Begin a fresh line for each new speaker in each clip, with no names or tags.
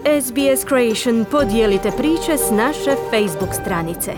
SBS Creation, podijelite priče s naše Facebook stranice.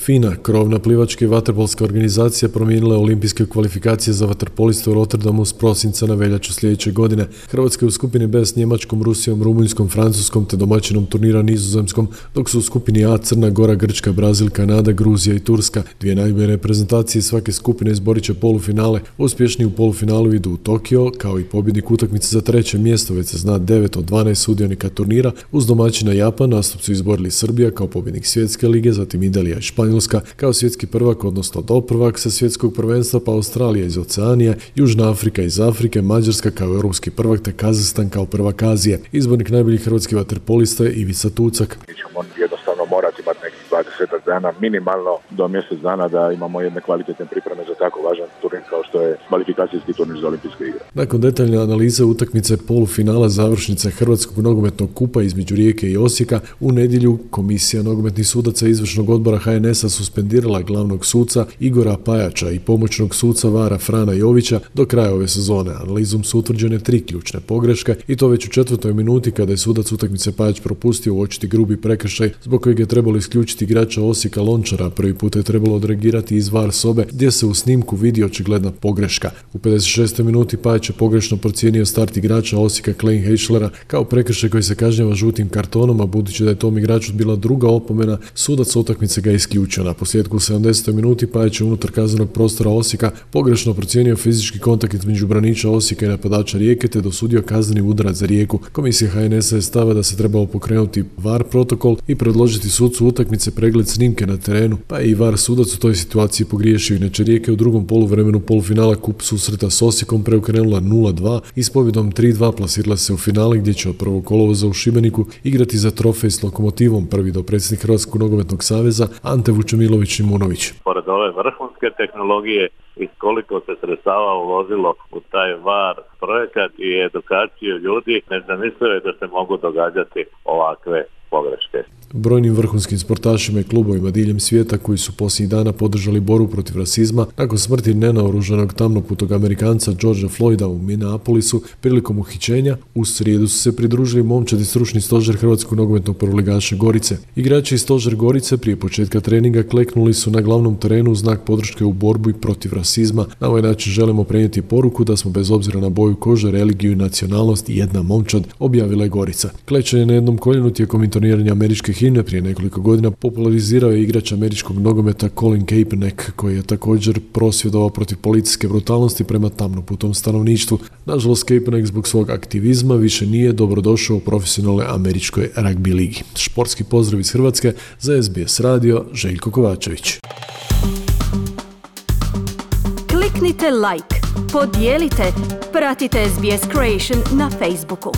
FINA, krovna plivačka i vaterpolska organizacija, promijenila je olimpijske kvalifikacije za vaterpoliste u Rotterdamu s prosinca na veljaču sljedeće godine. Hrvatska je u skupini B s Njemačkom, Rusijom, Rumunjskom, Francuskom te domaćinom turnira Nizozemskom, dok su u skupini A Crna Gora, Grčka, Brazil, Kanada, Gruzija i Turska. Dvije najbolje reprezentacije svake skupine izborit će polufinale. Uspješni u polufinalu idu u Tokio, kao i pobjednik utakmice za treće mjesto, već se zna 9 od 12 sudionika turnira. Uz domaćina Japan nastup su izborili Srbija kao pobjednik svjetske lige, zatim Italija i Španjolska kao svjetski prvak, odnosno doprvak sa svjetskog prvenstva, pa Australija iz Oceanije, Južna Afrika iz Afrike, Mađarska kao europski prvak te Kazahstan kao prvak Azije. Izbornik najboljih hrvatskih vaterpolista je Ivica Tucak.
Mi ćemo jednostavno morati imati nekih 20 dana, minimalno do mjesec dana, da imamo jedne kvalitetne pripreme za tako važan turnir kao što je kvalifikacijski turnir za olimpijske igre.
Nakon detaljne analize utakmice polufinala završnice Hrvatskog nogometnog kupa između Rijeke i Osijeka, u nedjelju Komisija nogometnih sudaca izvršnog odbora HNS-a suspendirala glavnog suca Igora Pajača i pomoćnog suca VAR-a Frana Jovića do kraja ove sezone. Analizom su utvrđene 3 ključne pogreške i to već u 4. minuti kada je sudac utakmice Pajač propustio uočiti grubi prekršaj zbog kojeg je trebalo isključiti igrača Osijeka Lončara. Prvi put je trebalo odreagirati iz VAR sobe gdje se u snimku vidi očigledna pogreška. U 56. minuti Pajač je pogrešno procijenio start igrača Osijeka Klein Heischlera kao prekršaj koji se kažnjava žutim kartonom, a budući da je tom igraču bila druga opomena, sudac utakmice ga isključio. Na posljedku u 70. minuti Pajač je unutar kaznenog prostora Osijeka pogrešno procijenio fizički kontakt između braniča Osijeka i napadača Rijeke te dosudio kazneni udarac za Rijeku. Komisija HNS-a je stava da se trebalo pokrenuti VAR protokol i predložiti sucu utakmice pregled snimke na terenu, pa je i VAR sudac u toj situaciji pogriješio. Inače Rijeka u drugom poluvremenu polufinala kup susreta s Osijekom preokrenula 0-2 i s pobjedom 3-2 plasirala se u finale gdje će od 1. kolovoza u Šibeniku igrati za trofej s Lokomotivom, prvi dopredsjednik Hrvatskog nogometnog saveza Ante Vučemilović Šimunović.
Pored ove vrhunske tehnologije i koliko se sredstava uložilo u taj VAR projekat i edukaciju ljudi, nezamislivo je da se mogu događati ovakve pogreške.
Brojnim vrhunskim sportašima i klubovima diljem svijeta koji su posljednjih dana podržali borbu protiv rasizma nakon smrti nenaoružanog tamnoputog Amerikanca Georgea Floyda u Minneapolisu prilikom uhićenja, u srijedu su se pridružili momčadi stručni stožer Hrvatskog nogometnog prvoligaša Gorice. Igrači iz stožer Gorice prije početka treninga kleknuli su na glavnom terenu u znak podrške u borbi protiv rasizma. Na ovaj način želimo prenijeti poruku da smo bez obzira na boju kože, religiju i nacionalnost jedna momčad, objavila je Gorica. Klečanje na jednom koljenu tijekom intoniranja američke himne prije nekoliko godina popularizirao je igrač američkog nogometa Colin Kaepernick, koji je također prosvjedovao protiv policijske brutalnosti prema tamnoputom stanovništvu. Nažalost, Kaepernick zbog svog aktivizma više nije dobrodošao u profesionalnoj američkoj ragbi ligi. Športski pozdrav iz Hrvatske za SBS radio, Željko Kovačević.
Kliknite like, podijelite, pratite SBS Creation na Facebooku.